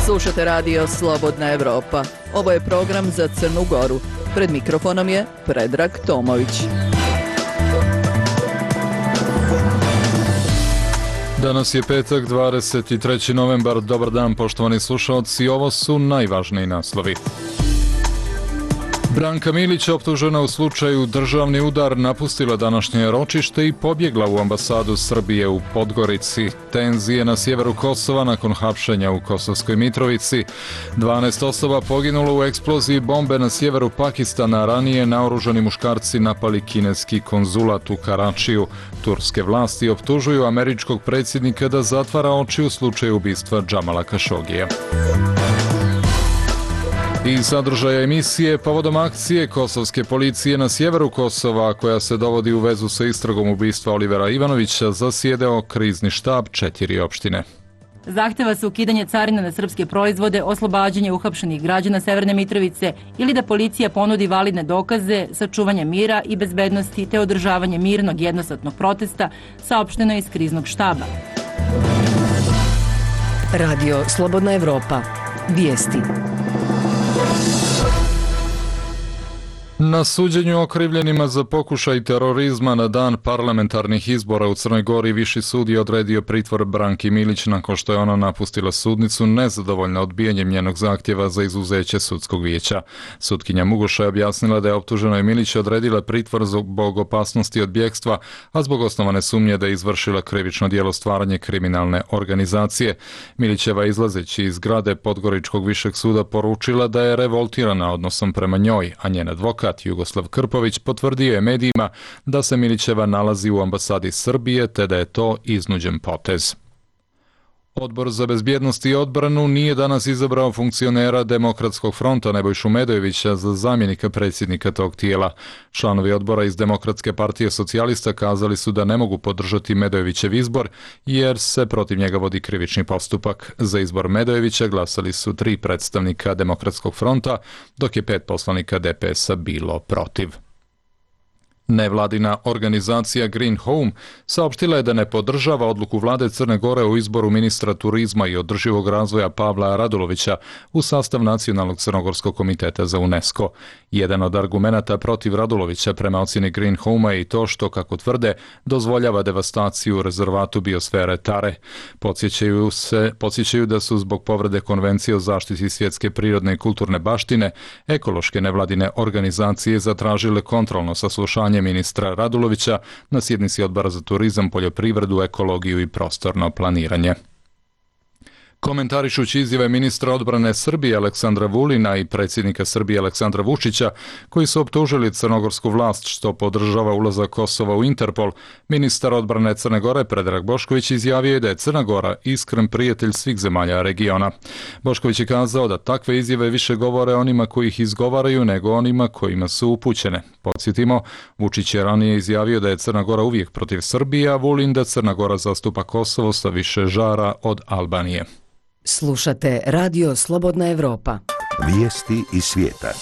Slušate radio Slobodna Evropa. Ovo je program za Crnu Goru. Pred mikrofonom je Predrag Tomović. Danas je petak, 23. novembar. Dobar dan, poštovani slušalci. Ovo su najvažniji naslovi. Branka Milić, optužena u slučaju državni udar, napustila današnje ročište i pobjegla u ambasadu Srbije u Podgorici. Tenzije na sjeveru Kosova nakon hapšenja u Kosovskoj Mitrovici. 12 osoba poginulo u eksploziji bombe na sjeveru Pakistana. Ranije naoružani muškarci napali kineski konzulat u Karačiju. Turske vlasti optužuju američkog predsjednika da zatvara oči u slučaju ubistva Džamala Kašogija. I sadržaja emisije povodom akcije kosovske policije na sjeveru Kosova, koja se dovodi u vezu sa istragom ubistva Olivera Ivanovića, zasjedao krizni štab 4 opštine. Zahteva se ukidanje carina na srpske proizvode, oslobađanje uhapšenih građana Severne Mitrovice ili da policija ponudi validne dokaze, sačuvanje mira i bezbednosti te održavanje mirnog jednosatnog protesta, saopšteno je iz kriznog štaba. Radio Slobodna Evropa. Vijesti. Na suđenju okrivljenima za pokušaj terorizma na dan parlamentarnih izbora u Crnoj Gori Viši sud je odredio pritvor Branki Milić nakon što je ona napustila sudnicu nezadovoljna odbijanjem njenog zahtjeva za izuzeće sudskog vijeća. Sutkinja Mugoša je objasnila da je optuženoj Milić odredila pritvor zbog opasnosti od bjegstva, a zbog osnovane sumnje da je izvršila krivično djelo stvaranje kriminalne organizacije. Milićeva izlazeći iz zgrade Podgoričkog višeg suda poručila da je revoltirana odnosom prema njoj, a njen advokat Jugoslav Krpović potvrdio je medijima da se Milićeva nalazi u ambasadi Srbije te da je to iznuđen potez. Odbor za bezbjednost i odbranu nije danas izabrao funkcionera Demokratskog fronta Nebojšu Medojevića za zamjenika predsjednika tog tijela. Članovi odbora iz Demokratske partije socijalista kazali su da ne mogu podržati Medojevićev izbor jer se protiv njega vodi krivični postupak. Za izbor Medojevića glasali su 3 predstavnika Demokratskog fronta, dok je 5 poslanika DPS-a bilo protiv. Nevladina organizacija Green Home saopštila je da ne podržava odluku vlade Crne Gore o izboru ministra turizma i održivog razvoja Pavla Radulovića u sastav Nacionalnog crnogorskog komiteta za UNESCO. Jedan od argumenata protiv Radulovića prema ocjeni Green Home je i to što, kako tvrde, devastaciju u rezervatu biosfere Tare. Podsjećaju da su zbog povrede konvencije o zaštiti svjetske prirodne i kulturne baštine ekološke nevladine organizacije zatražile kontrolno saslušanje ministra Radulovića na sjednici Odbora za turizam, poljoprivredu, ekologiju i prostorno planiranje. Komentarišući izjave ministra odbrane Srbije Aleksandra Vulina i predsjednika Srbije Aleksandra Vučića, koji su optužili crnogorsku vlast što podržava ulazak Kosova u Interpol, ministar odbrane Crne Gore Predrag Bošković izjavio je da je Crna Gora iskren prijatelj svih zemalja regiona. Bošković je kazao da takve izjave više govore onima koji ih izgovaraju nego onima kojima su upućene. Podsjetimo, Vučić je ranije izjavio da je Crna Gora uvijek protiv Srbije, a Vulin da Crna Gora zastupa Kosovo sa više žara od Albanije. Slušate Radio Slobodna Evropa. Vijesti iz svijeta.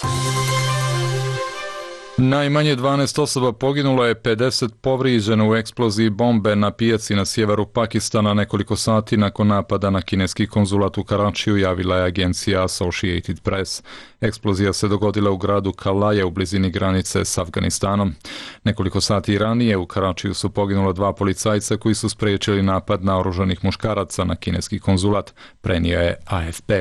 Najmanje 12 osoba poginulo je, 50 povrijeđeno u eksploziji bombe na pijaci na sjeveru Pakistana nekoliko sati nakon napada na kineski konzulat u Karačiju, javila je agencija Associated Press. Eksplozija se dogodila u gradu Kalaja u blizini granice s Afganistanom. Nekoliko sati ranije u Karačiju su poginula 2 policajca koji su spriječili napad naoružanih muškaraca na kineski konzulat, prenio je AFP.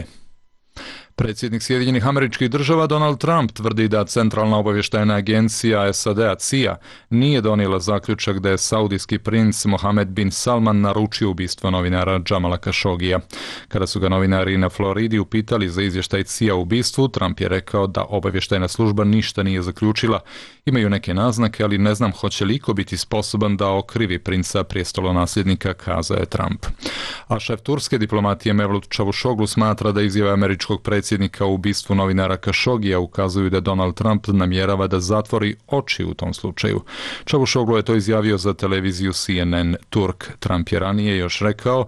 Predsjednik Sjedinjenih Američkih Država Donald Trump tvrdi da Centralna obavještajna agencija SAD-a CIA nije donijela zaključak da je saudijski princ Mohammed bin Salman naručio ubistvo novinara Džamala Kašogija. Kada su ga novinari na Floridi upitali za izvještaj CIA o ubistvu, Trump je rekao da obavještajna služba ništa nije zaključila. Imaju neke naznake, ali ne znam hoće li iko biti sposoban da okrivi princa prijestolonasljednika, kazao je Trump. A šef turske diplomatije Mevlut Čavuşoglu smatra da izjave američkog predsjednika o ubistvu novinara Kašogija ukazuju da Donald Trump namjerava da zatvori oči u tom slučaju. Čavuşoglu je to izjavio za televiziju CNN Turk. Trump je ranije još rekao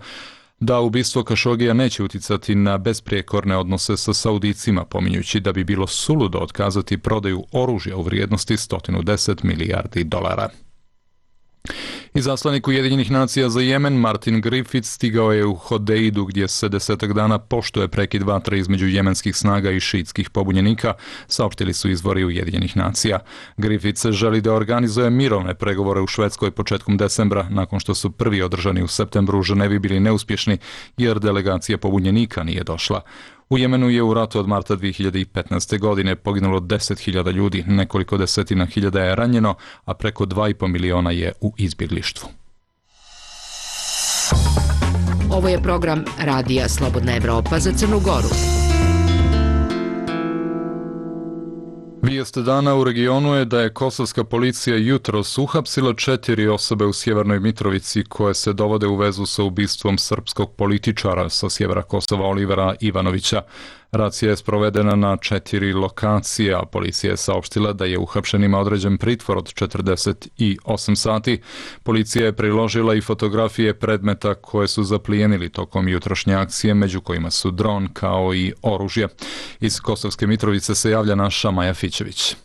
da ubistvo Kašogija neće uticati na besprijekorne odnose sa Saudicima, pominjući da bi bilo suludo otkazati prodaju oružja u vrijednosti 110 milijardi dolara. Izaslanik Ujedinjenih nacija za Jemen Martin Griffiths stigao je u Hodeidu gdje se 10 dana poštuje prekid vatre između jemenskih snaga i šiitskih pobunjenika, saopštili su izvori Ujedinjenih nacija. Griffiths želi da organizuje mirovne pregovore u Švedskoj početkom decembra, nakon što su prvi održani u septembru u Ženevi bili neuspješni jer delegacija pobunjenika nije došla. U Jemenu je u ratu od marta 2015. godine poginulo 10.000 ljudi, nekoliko desetina hiljada je ranjeno, a preko 2,5 miliona je u izbjeglištvu. Ovo je program Radija Slobodna Evropa za Crnu Goru. Vijest dana u regionu je da je kosovska policija jutros uhapsila 4 osobe u Sjevernoj Mitrovici koje se dovode u vezu sa ubistvom srpskog političara sa sjevera Kosova Olivera Ivanovića. Racija je sprovedena na 4 lokacije, a policija je saopštila da je uhapšenima određen pritvor od 48 sati. Policija je priložila i fotografije predmeta koje su zaplijenili tokom jutrošnje akcije, među kojima su dron kao i oružje. Iz Kosovske Mitrovice se javlja naša Maja Fićević.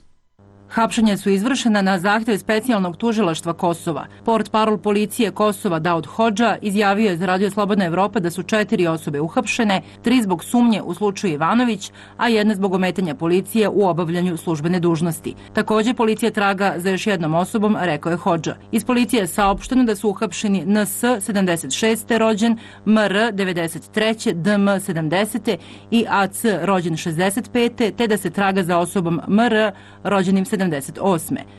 Hapšenja su izvršena na zahtjev specijalnog tužilaštva Kosova. Portparol policije Kosova Daud Hodža izjavio je za Radio Slobodna Evropa da su 4 osobe uhapšene, 3 zbog sumnje u slučaju Ivanović, a 1 zbog ometanja policije u obavljanju službene dužnosti. Također policija traga za još jednom osobom, rekao je Hodža. Iz policije je saopšteno da su uhapšeni NS 76. rođen, MR 93. DM 70. i AC rođen 65. te da se traga za osobom MR rođenim 78.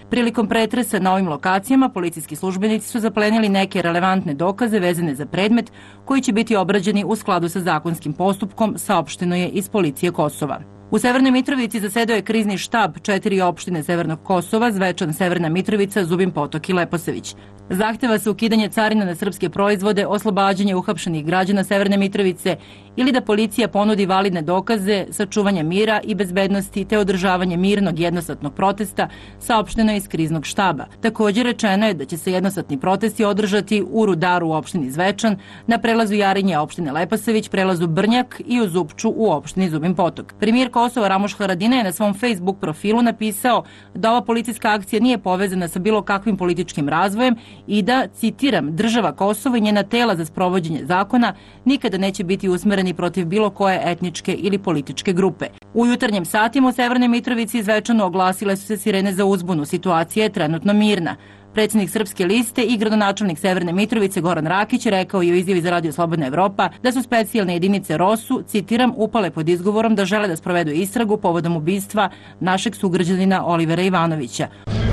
Prilikom pretresa na ovim lokacijama, policijski službenici su zaplenili neke relevantne dokaze vezane za predmet koji će biti obrađeni u skladu sa zakonskim postupkom, saopšteno je iz policije Kosova. U Severnoj Mitrovici zasedao je krizni štab 4 opštine Severnog Kosova, Zvečan, Severna Mitrovica, Zubin Potok i Leposavić. Zahteva se ukidanje carina na srpske proizvode, oslobađanje uhapšenih građana Severne Mitrovice ili da policija ponudi validne dokaze, sačuvanje mira i bezbednosti te održavanje mirnog jednosatnog protesta, saopšteno je iz kriznog štaba. Također rečeno je da će se jednosatni protesti održati u Rudaru u opštini Zvečan, na prelazu Jarinje opštine Leposavić, prelazu Brnjak i u Zupču u opštini Zubin Potok. Premijer Kosova Ramuš Haradinaj je na svom Facebook profilu napisao da ova policijska akcija nije povezana sa bilo kakvim političkim razvojem i da, citiram, država Kosovo i njena tela za sprovođenje zakona nikada neće biti usmereni protiv bilo koje etničke ili političke grupe. U jutarnjim satima u Severnoj Mitrovici i Zvečanu oglasile su se sirene za uzbunu. Situacija je trenutno mirna. Predsjednik Srpske liste i gradonačelnik Severne Mitrovice Goran Rakić rekao je u izjavi za Radio Slobodna Evropa da su specijalne jedinice ROSU, citiram, upale pod izgovorom da žele da sprovedu istragu povodom ubistva našeg sugrađanina Olivera Ivanovića.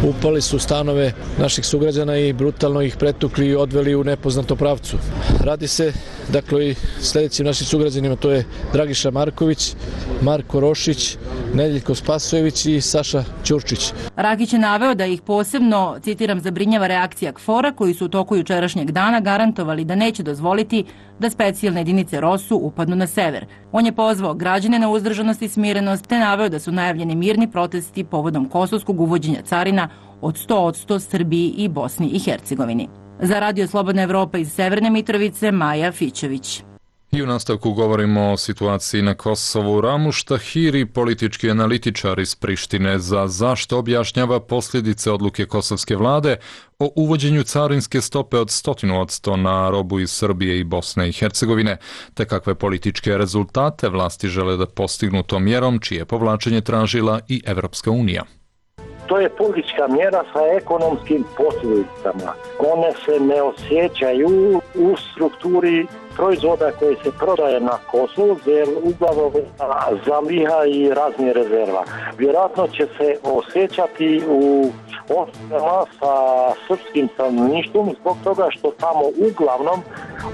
Upali su stanove naših sugrađana i brutalno ih pretukli i odveli u nepoznatom pravcu. Radi se, dakle, i sljedećim našim sugrađanima, to je Dragiša Marković, Marko Rošić, Nedeljko Spasojević i Saša Ćurčić. Rakić je naveo da ih posebno, citiram, zabrinjava reakcija KFOR-a koji su u toku jučerašnjeg dana garantovali da neće dozvoliti da specijalne jedinice ROSU upadnu na sever. On je pozvao građane na uzdržanost i smirenost te naveo da su najavljeni mirni protesti povodom kosovskog uvođenja carina od 100% Srbiji i Bosni i Hercegovini. Za Radio Slobodna Evropa iz Severne Mitrovice, Maja Fićević. I u nastavku govorimo o situaciji na Kosovu. Ramuš Tahiri, politički analitičar iz Prištine, za zašto objašnjava posljedice odluke kosovske vlade o uvođenju carinske stope od 100% na robu iz Srbije i Bosne i Hercegovine, te kakve političke rezultate vlasti žele da postignu tom mjerom, čije povlačenje tražila i Evropska unija. To je politička mjera sa ekonomskim posljedicama. One se ne osjećaju u strukturi proizvoda koji se prodaje na Kosovu, jer uglavnom zaliha i raznih rezerva. Vjerojatno će se osjećati u osnovama sa srpskim stanovništvom zbog toga što tamo uglavnom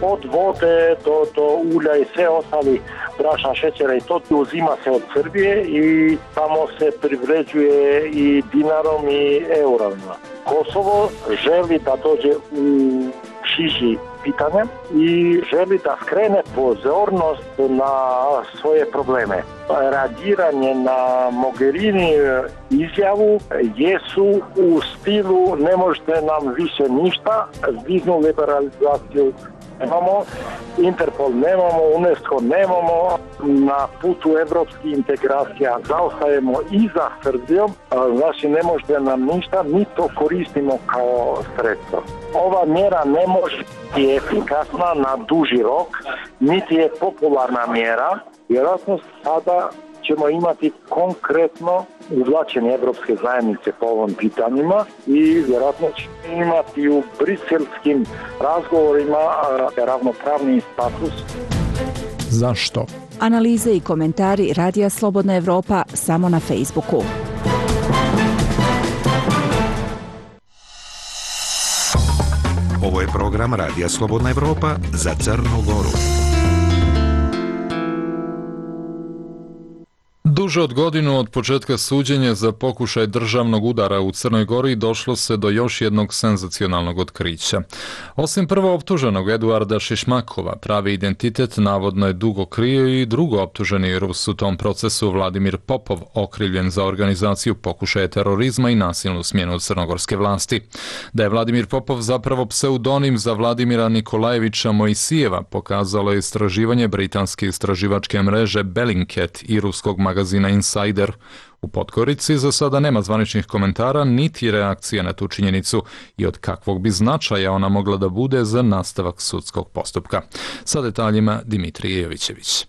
od vode do ulja i sve ostali brašna, šećera i to uzima se od Srbije i tamo se privređuje i dinarom i eurama. Kosovo želi da dođe u šiži pitanje i želi da skrene pozornost na svoje probleme. Reagiranje na Mogherini izjavu jesu u stilu ne možete nam više ništa, viznu liberalizaciju nemamo, Interpol nemamo, UNESCO nemamo, na putu evropskih integracija zaostajemo i za Srbijom, znači ne možete nam ništa, mi to koristimo kao sredstvo. Ova mjera ne može biti efikasna na duži rok, niti je popularna mjera, vjerojatno sada ćemo imati konkretno uvlačenje Evropske zajednice po ovom pitanjima i vjerojatno ćemo imati u briselskim razgovorima ravnopravni status. Zašto? Analize i komentari Radija Slobodna Evropa samo na Facebooku. Ovo je program Radija Slobodna Evropa za Crnu Goru. Duže od godinu od početka suđenja za pokušaj državnog udara u Crnoj Gori došlo se do još jednog senzacionalnog otkrića. Osim prvooptuženog Eduarda Šišmakova, pravi identitet navodno je dugo krio i drugooptuženi Rus u tom procesu Vladimir Popov, okrivljen za organizaciju pokušaja terorizma i nasilnu smjenu crnogorske vlasti. Da je Vladimir Popov zapravo pseudonim za Vladimira Nikolajevića Mojsijeva pokazalo je istraživanje britanske istraživačke mreže Bellingcat i ruskog magazina Insider. U Podgorici za sada nema zvaničnih komentara niti reakcija na tu činjenicu i od kakvog bi značaja ona mogla da bude za nastavak sudskog postupka. Sa detaljima Dimitrije Jovićević.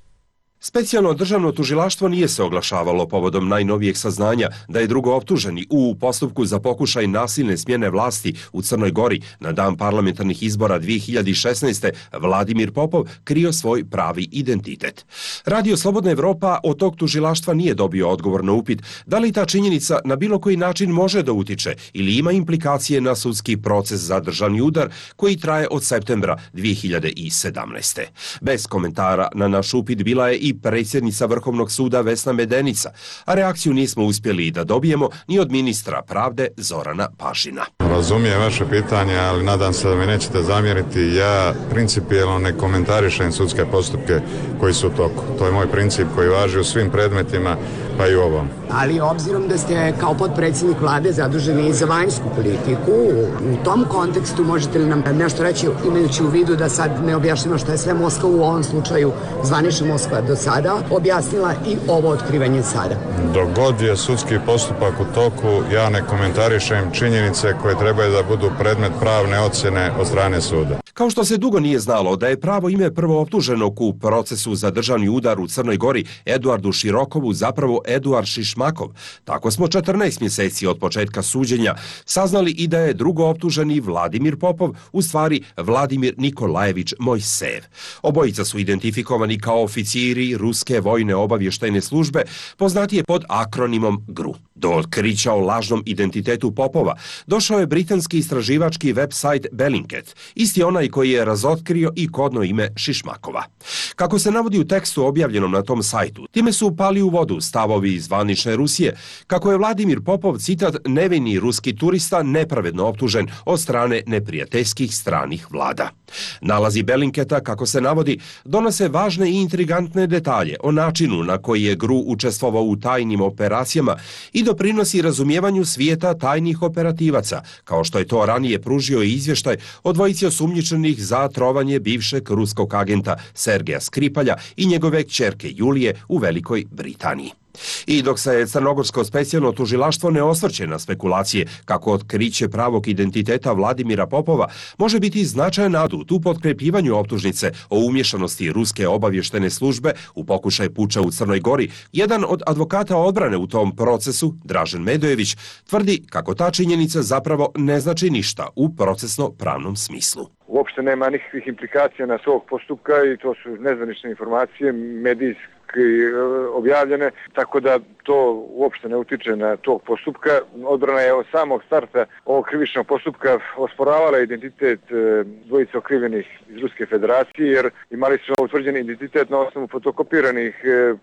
Specijalno državno tužilaštvo nije se oglašavalo povodom najnovijeg saznanja da je drugooptuženi u postupku za pokušaj nasilne smjene vlasti u Crnoj Gori na dan parlamentarnih izbora 2016. Vladimir Popov krio svoj pravi identitet. Radio Slobodna Evropa od tog tužilaštva nije dobio odgovor na upit da li ta činjenica na bilo koji način može da utiče ili ima implikacije na sudski proces za državni udar koji traje od septembra 2017. Bez komentara na naš upit bila je i predsjednica Vrhovnog suda Vesna Medenica, a reakciju nismo uspjeli da dobijemo ni od ministra pravde Zorana Pašina. Razumijem vaše pitanje, ali nadam se da mi nećete zamjeriti. Ja principijelno ne komentarišem sudske postupke koji su u toku. To je moj princip koji važi u svim predmetima, pa i u ovom. Ali obzirom da ste kao potpredsjednik vlade zaduženi za vanjsku politiku, u tom kontekstu možete li nam nešto reći, imajući u vidu da sad ne objašnjamo što je sve Moskva u ovom slučaju, zvanična Moskva do sada, objasnila i ovo otkrivanje sada? Dok god je sudski postupak u toku, ja ne komentarišem činjenice koje trebaju da budu predmet pravne ocjene od strane suda. Kao što se dugo nije znalo da je pravo ime prvooptuženog u procesu za državni udar u Crnoj Gori Eduardu Širokovu zapravo Eduard Šišmakov, tako smo 14 mjeseci od početka suđenja saznali i da je drugooptuženi Vladimir Popov u stvari Vladimir Nikolajević Mojsejev. Obojica su identifikovani kao oficiri ruske vojne obavještajne službe, poznatije pod akronimom GRU. Do otkrića o lažnom identitetu Popova došao je britanski istraživački website Bellingcat, isti onaj koji je razotkrio i kodno ime Šišmakova. Kako se navodi u tekstu objavljenom na tom sajtu, time su upali u vodu stavovi zvanične Rusije, kako je Vladimir Popov, citat, nevini ruski turista nepravedno optužen od strane neprijateljskih stranih vlada. Nalazi Bellingcata, kako se navodi, donose važne i intrigantne detalje o načinu na koji je GRU učestvovao u tajnim operacijama i doprinosi razumijevanju svijeta tajnih operativaca, kao što je to ranije pružio i izvještaj o dvojici osumnjičenih za trovanje bivšeg ruskog agenta Sergeja Skripalja i njegove kćerke Julije u Velikoj Britaniji. I dok se crnogorsko specijalno tužilaštvo ne osvrće na spekulacije kako otkriće pravog identiteta Vladimira Popova može biti značajan adut u potkrepljivanju optužnice o umješanosti ruske obavještene službe u pokušaj puča u Crnoj Gori, jedan od advokata odbrane u tom procesu, Dražen Medojević, tvrdi kako ta činjenica zapravo ne znači ništa u procesno-pravnom smislu. Uopšte nema nikakvih implikacija na svog postupka i to su nezvanične informacije, medijski objavljene, tako da to uopšte ne utiče na tog postupka. Odbrana je od samog starta ovog krivičnog postupka osporavala identitet dvojice okrivljenih iz Ruske federacije, jer imali smo utvrđen identitet na osnovu fotokopiranih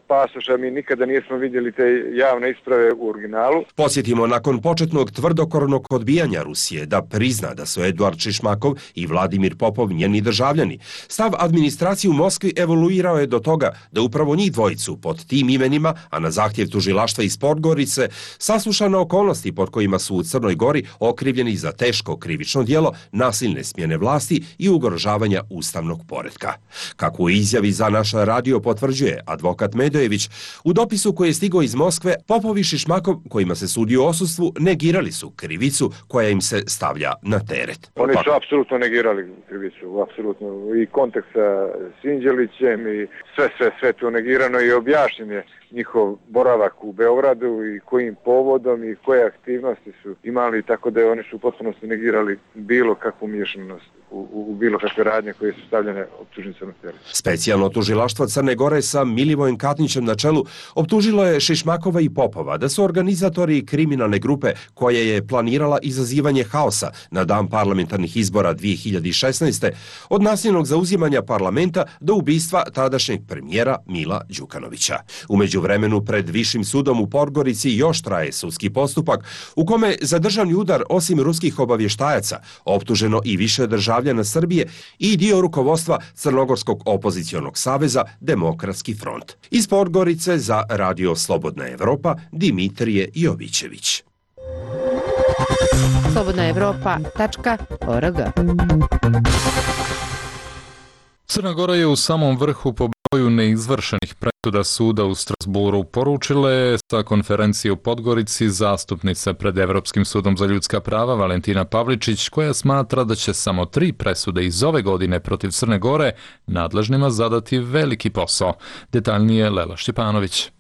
pasoša. Mi nikada nismo vidjeli te javne isprave u originalu. Podsjetimo, nakon početnog tvrdokornog odbijanja Rusije da prizna da su Eduard Šišmakov i Vladimir Popov njeni državljani, stav administracije u Moskvi evoluirao je do toga da upravo njih dvojicu pod tim imenima, a na zahtjev tužilaštva tužilaštva iz Podgorice saslušane okolnosti pod kojima su u Crnoj Gori okrivljeni za teško krivično djelo nasilne smjene vlasti i ugrožavanja ustavnog poretka. Kako u izjavi za naš radio potvrđuje advokat Medojević, u dopisu koji je stigao iz Moskve, Popov i Šišmakov, kojima se sudi u odsustvu, negirali su krivicu koja im se stavlja na teret. Oni su apsolutno negirali krivicu, apsolutno, i kontekst sa Sinđelićem i sve to negirano i objašnjen je njihov boravak u Beogradu i kojim povodom i koje aktivnosti su imali, tako da oni su u potpunosti negirali bilo kakvu miješanost u bilo kakve radnje koje su stavljene optužnicama teret. Specijalno tužilaštvo Crne Gore sa Milivojem Katnićem na čelu optužilo je Šišmakova i Popova da su organizatori kriminalne grupe koja je planirala izazivanje haosa na dan parlamentarnih izbora 2016. od nasilnog zauzimanja parlamenta do ubistva tadašnjeg premijera Mila Đukanovića. U međuvremenu pred Višim sudom u Podgorici još traje sudski postupak u kome za državni udar osim ruskih obavještajaca optuženo i više državljana Srbije i dio rukovodstva Crnogorskog opozicionog saveza Demokratski front. Iz Podgorice za Radio Slobodna Evropa Dimitrije Jovićević. slobodnaevropa.org. Crna Gora je u samom vrhu po broju neizvršenih presuda suda u Strasburu, poručila je sa konferencije u Podgorici zastupnica pred Evropskim sudom za ljudska prava Valentina Pavličić, koja smatra da će samo 3 presude iz ove godine protiv Crne Gore nadležnima zadati veliki posao. Detaljnije Lela Šćepanović.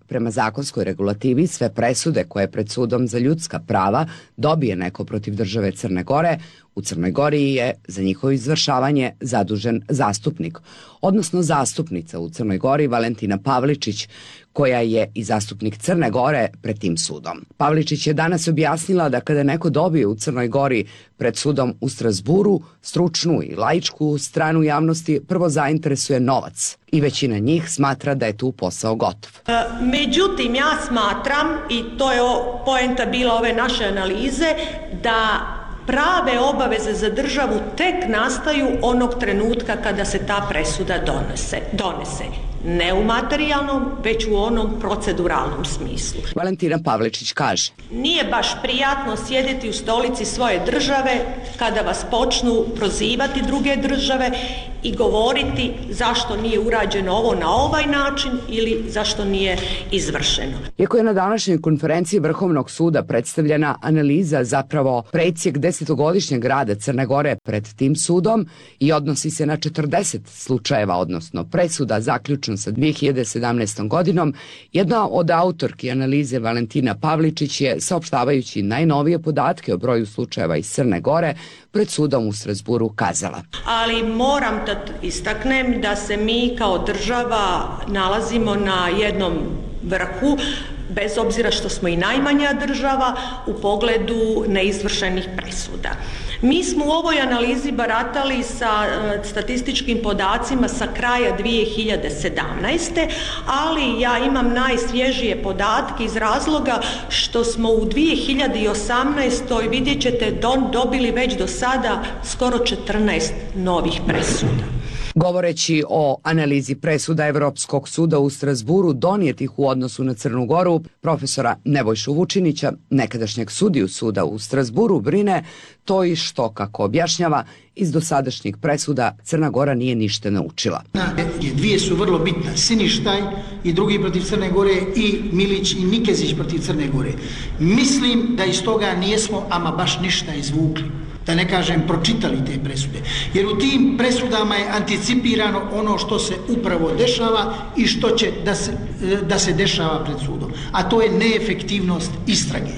Prema zakonskoj regulativi, sve presude koje pred sudom za ljudska prava dobije neko protiv države Crne Gore, u Crnoj Gori je za njihovo izvršavanje zadužen zastupnik, odnosno zastupnica u Crnoj Gori Valentina Pavličić, koja je i zastupnik Crne Gore pred tim sudom. Pavličić je danas objasnila da kada neko dobije u Crnoj Gori pred sudom u Strasburu, stručnu i laičku stranu javnosti prvo zainteresuje novac i većina njih smatra da je tu posao gotov. Međutim, ja smatram, i to je poenta bila ove naše analize, da prave obaveze za državu tek nastaju onog trenutka kada se ta presuda donese. Ne u materijalnom, već u onom proceduralnom smislu. Valentina Pavličić kaže: Nije baš prijatno sjediti u stolici svoje države kada vas počnu prozivati druge države i govoriti zašto nije urađeno ovo na ovaj način ili zašto nije izvršeno. Iako je na današnjoj konferenciji Vrhovnog suda predstavljena analiza, zapravo presjek 10-godišnjeg rada Crne Gore pred tim sudom i odnosi se na 40 slučajeva, odnosno presuda zaključno sa 2017. godinom, jedna od autorki analize Valentina Pavličić je, saopštavajući najnovije podatke o broju slučajeva iz Crne Gore, pred sudom u Strasburu kazala: Ali moram da istaknem da se mi kao država nalazimo na jednom vrhu, bez obzira što smo i najmanja država u pogledu neizvršenih presuda. Mi smo u ovoj analizi baratali sa statističkim podacima sa kraja 2017. ali ja imam najsvježije podatke iz razloga što smo u 2018. vidjet ćete dobili već do sada skoro 14 novih presuda. Govoreći o analizi presuda Evropskog suda u Strasburu donijetih u odnosu na Crnu Goru, profesora Nebojšu Vučinića, nekadašnjeg sudiju suda u Strasburu, brine to i što, kako objašnjava, iz dosadašnjih presuda Crna Gora nije ništa naučila. Dvije su vrlo bitne, Siništaj i drugi protiv Crne Gore i Milić i Nikezić protiv Crne Gore. Mislim da iz toga nijesmo ama baš ništa izvukli, da ne kažem pročitali te presude. Jer u tim presudama je anticipirano ono što se upravo dešava i što će da se dešava pred sudom. A to je neefektivnost istrage.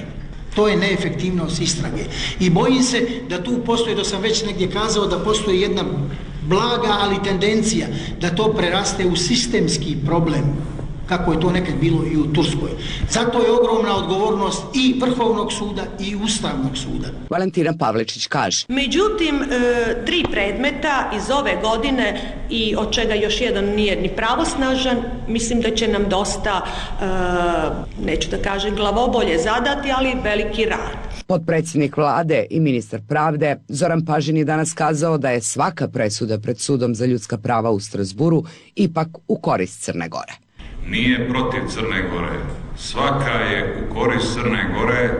To je neefektivnost istrage. I bojim se da tu postoji, da sam već negdje kazao, da postoji jedna blaga, ali tendencija da to preraste u sistemski problem, kako je to nekad bilo i u Turskoj. Zato je ogromna odgovornost i Vrhovnog suda i Ustavnog suda. Valentina Pavličić kaže: Međutim, 3 predmeta iz ove godine i od čega još jedan nije ni pravosnažan, mislim da će nam dosta, neću da kažem glavobolje zadati, ali veliki rad. Potpredsjednik vlade i ministar pravde Zoran Pažin je danas kazao da je svaka presuda pred sudom za ljudska prava u Strasburu ipak u korist Crne Gore. Nije protiv Crne Gore, svaka je u korist Crne Gore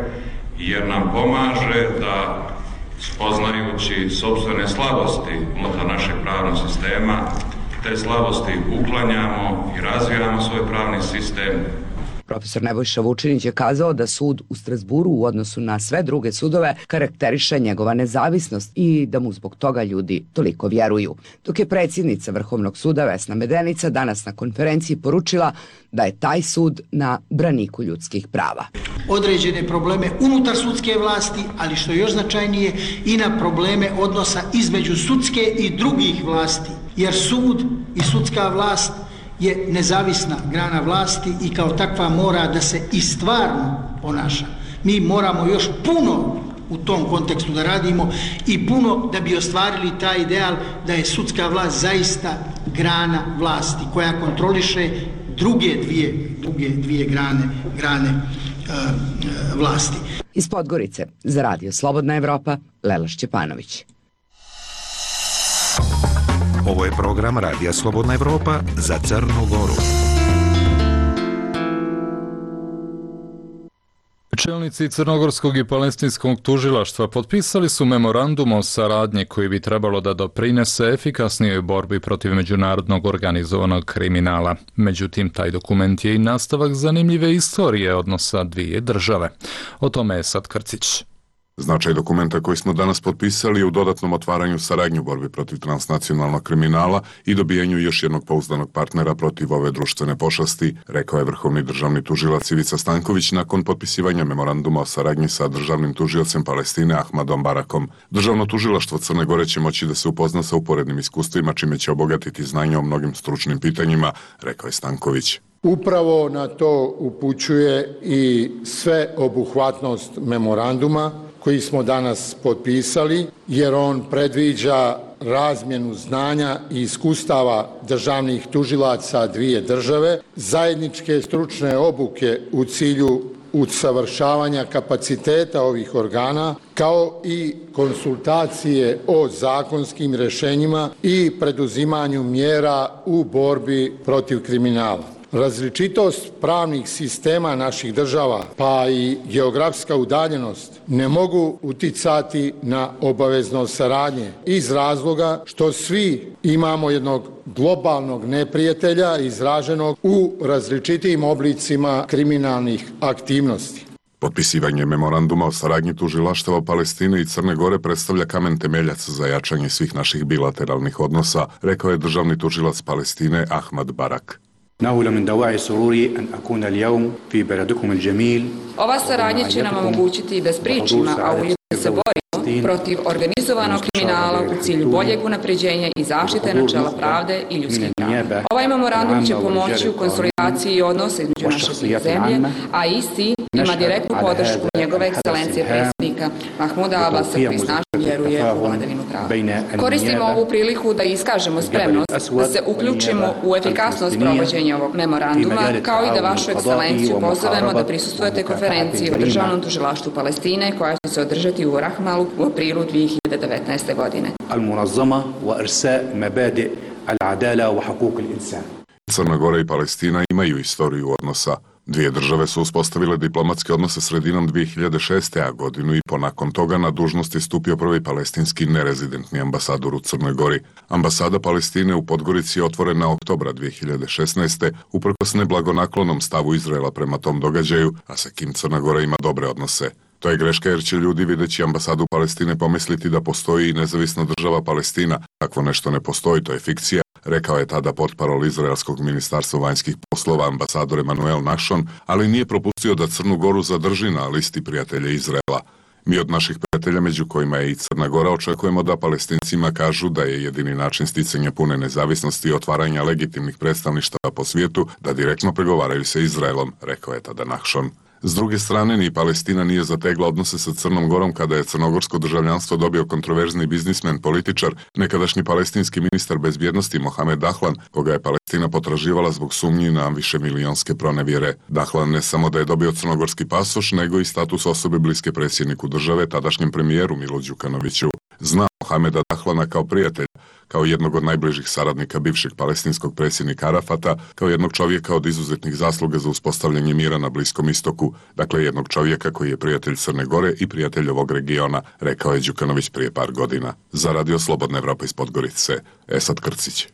jer nam pomaže da, spoznajući sopstvene slabosti unutar našeg pravnog sistema, te slabosti uklanjamo i razvijamo svoj pravni sistem. Profesor Nebojša Vučinić je kazao da sud u Strasburu u odnosu na sve druge sudove karakteriše njegova nezavisnost i da mu zbog toga ljudi toliko vjeruju. Dok je predsjednica Vrhovnog suda Vesna Medenica danas na konferenciji poručila da je taj sud na braniku ljudskih prava. Određene probleme unutar sudske vlasti, ali što je još značajnije i na probleme odnosa između sudske i drugih vlasti, jer sud i sudska vlast je nezavisna grana vlasti i kao takva mora da se i stvarno ponaša. Mi moramo još puno u tom kontekstu da radimo i puno da bi ostvarili taj ideal da je sudska vlast zaista grana vlasti koja kontroliše druge dvije grane vlasti. Iz Podgorice za Radio Slobodna Evropa, Lela Šćepanović. Ovo je program Radija Slobodna Evropa za Crnu Goru. Čelnici crnogorskog i palestinskog tužilaštva potpisali su memorandum o saradnji koji bi trebalo da doprinese efikasnijoj borbi protiv međunarodnog organizovanog kriminala. Međutim, taj dokument je i nastavak zanimljive istorije odnosa dvije države. O tome je Sad Krcić. Značaj dokumenta koji smo danas potpisali je u dodatnom otvaranju saradnje u borbi protiv transnacionalnog kriminala i dobijanju još jednog pouzdanog partnera protiv ove društvene pošasti, rekao je vrhovni državni tužilac Ivica Stanković nakon potpisivanja memoranduma o saradnji sa državnim tužiocem Palestine Ahmadom Barakom. Državno tužilaštvo Crne Gore će moći da se upozna sa uporednim iskustvima, čime će obogatiti znanje o mnogim stručnim pitanjima, rekao je Stanković. Upravo na to upućuje i sveobuhvatnost memoranduma koji smo danas potpisali, jer on predviđa razmjenu znanja i iskustava državnih tužilaca dvije države, zajedničke stručne obuke u cilju usavršavanja kapaciteta ovih organa, kao i konsultacije o zakonskim rješenjima i preduzimanju mjera u borbi protiv kriminala. Različitost pravnih sistema naših država, pa i geografska udaljenost, ne mogu uticati na obaveznost saradnje iz razloga što svi imamo jednog globalnog neprijatelja izraženog u različitim oblicima kriminalnih aktivnosti. Potpisivanje memoranduma o saradnji tužilaštava Palestine i Crne Gore predstavlja kamen temeljac za jačanje svih naših bilateralnih odnosa, rekao je državni tužilac Palestine Ahmad Barak. Ova saradnja će nam omogućiti da spriječimo, a ujedno se borimo protiv organizovanog kriminala u cilju boljeg unapređenja i zaštite načela pravde i ljudskih prava. Ovaj memorandum će pomoći u konsolidaciji odnosa između naše dvije zemlje, a isti ima direktnu podršku njegove ekscelencije predsjednika Mahmuda Abasa koji snažno vjeruje u vladavinu prava. Koristimo ovu priliku da iskažemo spremnost da se uključimo u efikasnost provođenja ovog memoranduma, kao i da vašu ekscelenciju pozovemo da prisustvujete konferenciji o državnom tužilaštvu Palestine koja će se održati u Rahmalu u aprilu 2019. godine. Crna Gora i Palestina imaju istoriju odnosa. Dvije države su uspostavile diplomatske odnose sredinom 2006. a godinu i po nakon toga na dužnost je stupio prvi palestinski nerezidentni ambasador u Crnoj Gori. Ambasada Palestine u Podgorici je otvorena oktobra 2016. uprkos neblagonaklonom stavu Izraela prema tom događaju, a sa kim Crna Gora ima dobre odnose. To je greška jer će ljudi videći ambasadu Palestine pomisliti da postoji i nezavisna država Palestina. Takvo nešto ne postoji, to je fikcija, rekao je tada portparol Izraelskog ministarstva vanjskih poslova ambasador Emanuel Našon, ali nije propustio da Crnu Goru zadrži na listi prijatelja Izraela. Mi od naših prijatelja, među kojima je i Crna Gora, očekujemo da Palestincima kažu da je jedini način sticanja pune nezavisnosti i otvaranja legitimnih predstavništava po svijetu da direktno pregovaraju sa Izraelom, rekao je tada Našon. S druge strane, ni Palestina nije zategla odnose sa Crnom Gorom kada je crnogorsko državljanstvo dobio kontroverzni biznismen, političar, nekadašnji palestinski ministar bezbjednosti Mohamed Dahlan, koga je Palestina potraživala zbog sumnji na višemilijonske pronevjere. Dahlan ne samo da je dobio crnogorski pasoš, nego i status osobe bliske predsjedniku države, tadašnjem premijeru Milu Đukanoviću. Zna Mohameda Dahlana kao prijatelja, kao jednog od najbližih saradnika bivšeg palestinskog predsjednika Arafata, kao jednog čovjeka od izuzetnih zasluga za uspostavljanje mira na Bliskom istoku, dakle jednog čovjeka koji je prijatelj Crne Gore i prijatelj ovog regiona, rekao je Đukanović prije par godina. Za Radio Slobodna Evropa iz Podgorice, Esad Krcić.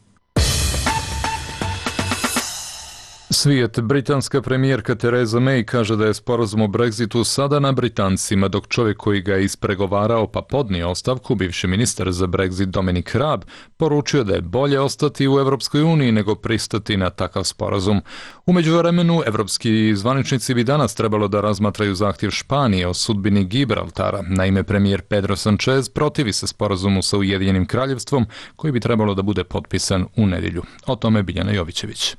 Svijet. Britanska premijerka Theresa May kaže da je sporazum o Brexitu sada na Britancima, dok čovjek koji ga je ispregovarao pa podnio ostavku, bivši ministar za Brexit Dominic Raab, poručio da je bolje ostati u Europskoj uniji nego pristati na takav sporazum. U međuvremenu, evropski zvaničnici bi danas trebalo da razmatraju zahtjev Španije o sudbini Gibraltara. Naime, premijer Pedro Sanchez protivi se sporazumu sa Ujedinjenim kraljevstvom, koji bi trebalo da bude potpisan u nedjelju. O tome Biljana Jovićević.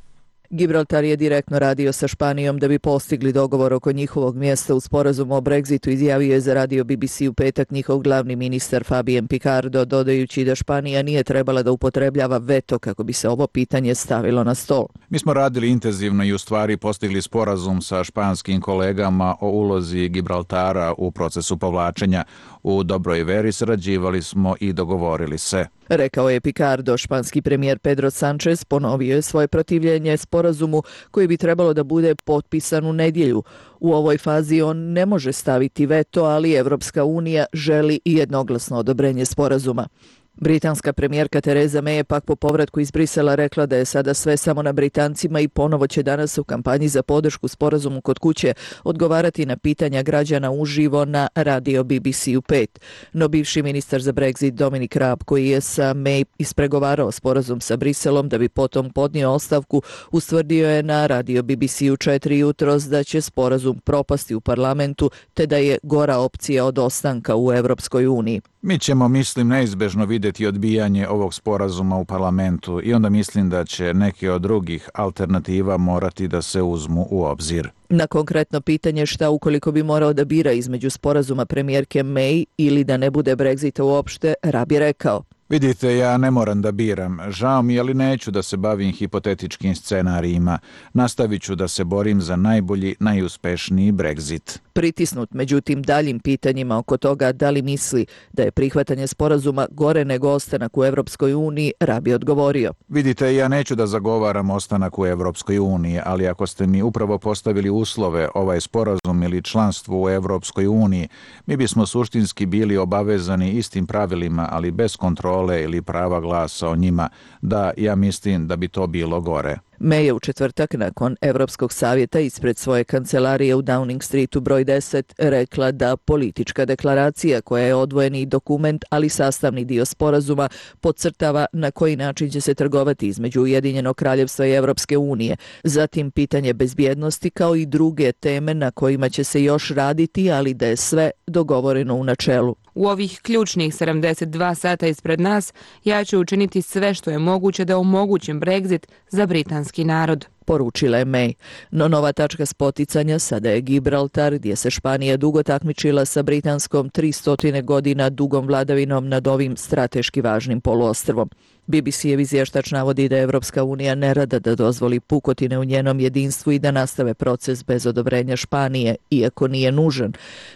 Gibraltar je direktno radio sa Španijom da bi postigli dogovor oko njihovog mjesta u sporazumu o Brexitu, izjavio je za radio BBC u petak njihov glavni ministar Fabien Picardo, dodajući da Španija nije trebala da upotrebljava veto kako bi se ovo pitanje stavilo na stol. Mi smo radili intenzivno i u stvari postigli sporazum sa španskim kolegama o ulozi Gibraltara u procesu povlačenja. U dobroj veri sarađivali smo i dogovorili se. Rekao je Picardo. Španski premijer Pedro Sanchez ponovio je svoje protivljenje sporazumu koji bi trebalo da bude potpisan u nedjelju. U ovoj fazi on ne može staviti veto, ali Evropska unija želi i jednoglasno odobrenje sporazuma. Britanska premijerka Theresa May je pak po povratku iz Brisela rekla da je sada sve samo na Britancima i ponovo će danas u kampanji za podršku sporazumu kod kuće odgovarati na pitanja građana uživo na radio BBC u 5. No bivši ministar za Brexit Dominic Raab, koji je sa May ispregovarao sporazum sa Briselom da bi potom podnio ostavku, ustvrdio je na radio BBC u 4 jutros da će sporazum propasti u parlamentu te da je gora opcija od ostanka u Evropskoj uniji. Mi ćemo, mislim, neizbežno vidjeti odbijanje ovog sporazuma u parlamentu i onda mislim da će neke od drugih alternativa morati da se uzmu u obzir. Na konkretno pitanje šta ukoliko bi morao da bira između sporazuma premijerke May ili da ne bude Brexita uopšte, Raab je rekao: Vidite, ja ne moram da biram. Žao mi, ali neću da se bavim hipotetičkim scenarijima. Nastavit ću da se borim za najbolji, najuspešniji Brexit. Pritisnut međutim daljim pitanjima oko toga da li misli da je prihvatanje sporazuma gore nego ostanak u Evropskoj uniji, Raab je odgovorio: Vidite, ja neću da zagovaram ostanak u Evropskoj uniji, ali ako ste mi upravo postavili uslove, ovaj sporazum ili članstvo u Evropskoj uniji, mi bismo suštinski bili obavezani istim pravilima, ali bez kontrole ili prava glasa o njima. Da, ja mislim da bi to bilo gore. May je u četvrtak nakon Evropskog savjeta ispred svoje kancelarije u Downing Streetu broj 10 rekla da politička deklaracija, koja je odvojeni dokument, ali sastavni dio sporazuma, podcrtava na koji način će se trgovati između Ujedinjenog kraljevstva i Evropske unije, zatim pitanje bezbjednosti kao i druge teme na kojima će se još raditi, ali da je sve dogovoreno u načelu. U ovih ključnih 72 sata ispred nas, ja ću učiniti sve što je moguće da omogućim Brexit za britanski narod, poručila je May. No nova tačka spoticanja sada je Gibraltar, gdje se Španija dugo takmičila sa britanskom 300 godina dugom vladavinom nad ovim strateški važnim poluostrvom. BBC-ev izvještač navodi da Evropska unija ne rada da dozvoli pukotine u njenom jedinstvu i da nastave proces bez odobrenja Španije, iako nije nužan,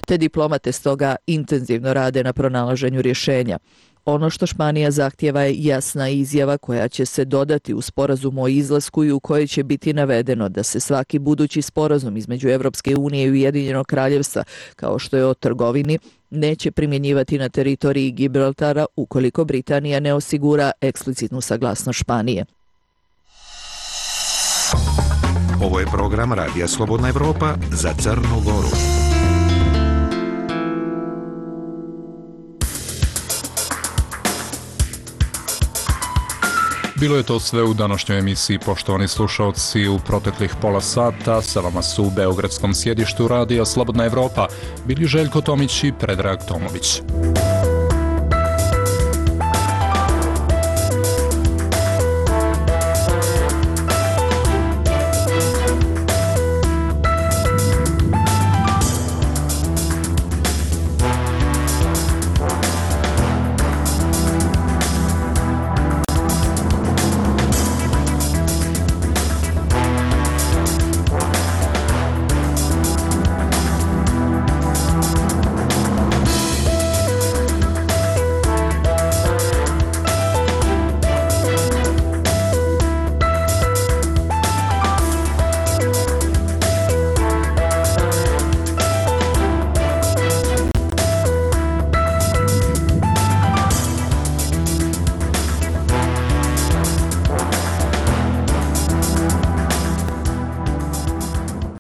te diplomate stoga intenzivno rade na pronalaženju rješenja. Ono što Španija zahtjeva je jasna izjava koja će se dodati u sporazumu o izlasku i u kojoj će biti navedeno da se svaki budući sporazum između Evropske unije i Ujedinjenog kraljevstva, kao što je o trgovini, neće primjenjivati na teritoriji Gibraltara ukoliko Britanija ne osigura eksplicitnu saglasnost Španije. Ovo je program Radija Slobodna Evropa za Crnu Goru. Bilo je to sve u današnjoj emisiji, poštovani slušalci. U proteklih pola sata sa vama su u beogradskom sjedištu Radija Slobodna Evropa bili Željko Tomić i Predrag Tomović.